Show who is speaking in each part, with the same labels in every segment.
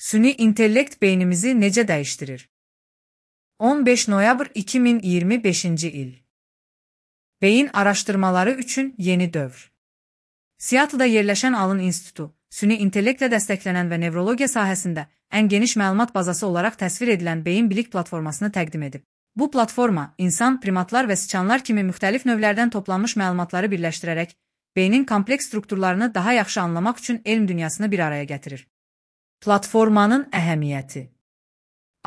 Speaker 1: Süni intellekt beynimizi necə dəyişdirir? 15 noyabr 2025-ci il. Beyin araşdırmaları üçün yeni dövr. Seattle'da yerləşən Allen İnstitutu, süni intellektlə dəstəklənən və nevrologiya sahəsində ən geniş məlumat bazası olaraq təsvir edilən beyin bilik platformasını təqdim edib. Bu platforma, insan, primatlar və siçanlar kimi müxtəlif növlərdən toplanmış məlumatları birləşdirərək, beynin kompleks strukturlarını daha yaxşı anlamaq üçün elm dünyasını bir araya gətirir. Platformanın əhəmiyyəti.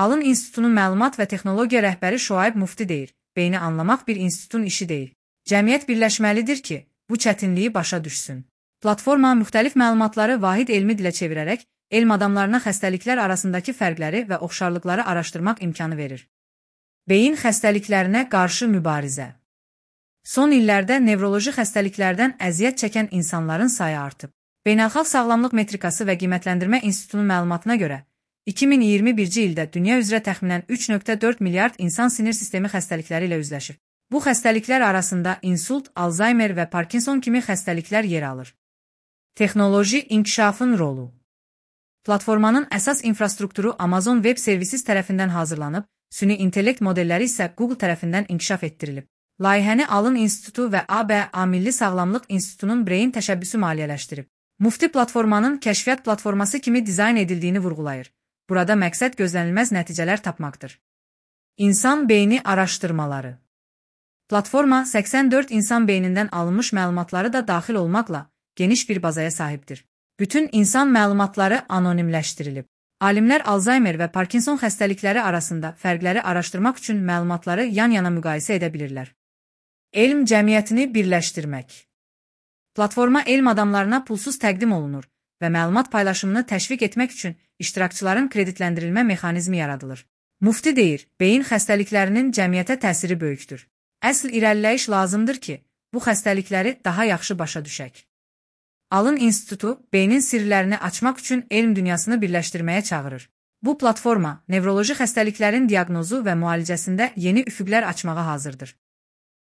Speaker 1: Allen İnstitutunun məlumat və texnologiya rəhbəri Şuayb Mufti deyir, beyni anlamaq bir institutun işi deyil. Cəmiyyət birləşməlidir ki, bu çətinliyi başa düşsün. Platforma müxtəlif məlumatları vahid elmi dilə çevirərək, elm adamlarına xəstəliklər arasındakı fərqləri və oxşarlıqları araşdırmaq imkanı verir. Beyin xəstəliklərinə qarşı mübarizə. Son illərdə nevroloji xəstəliklərdən əziyyət çəkən insanların sayı artıb. Beynəlxalq Sağlamlıq Metrikası və Qiymətləndirmə İnstitutunun məlumatına görə, 2021-ci ildə dünya üzrə təxminən 3,4 milyard insan sinir sistemi xəstəlikləri ilə üzləşir. Bu xəstəliklər arasında insult, Alzheimer və Parkinson kimi xəstəliklər yer alır. Texnoloji inkişafın rolu. Platformanın əsas infrastrukturu Amazon Web Services tərəfindən hazırlanıb, süni intellekt modelləri isə Google tərəfindən inkişaf etdirilib. Layihəni Allen İnstitutu və ABA Milli Sağlamlıq İnstitutunun Brain təşəbbüsü maliyyələşdirib. Mufti platformanın kəşfiyyat platforması kimi dizayn edildiyini vurğulayır. Burada məqsəd gözlənilməz nəticələr tapmaqdır. İnsan beyni araşdırmaları. Platforma 84 insan beynindən alınmış məlumatları da daxil olmaqla geniş bir bazaya sahibdir. Bütün insan məlumatları anonimləşdirilib. Alimlər Alzheimer və Parkinson xəstəlikləri arasında fərqləri araşdırmaq üçün məlumatları yan-yana müqayisə edə bilirlər. Elm cəmiyyətini birləşdirmək. Platforma elm adamlarına pulsuz təqdim olunur və məlumat paylaşımını təşviq etmək üçün iştirakçıların kreditləndirilmə mexanizmi yaradılır. Mufti deyir, beyin xəstəliklərinin cəmiyyətə təsiri böyükdür. Əsl irəliləyiş lazımdır ki, bu xəstəlikləri daha yaxşı başa düşək. Allen İnstitutu, beynin sirlərini açmaq üçün elm dünyasını birləşdirməyə çağırır. Bu platforma, nevroloji xəstəliklərin diaqnozu və müalicəsində yeni üfüqlər açmağa hazırdır.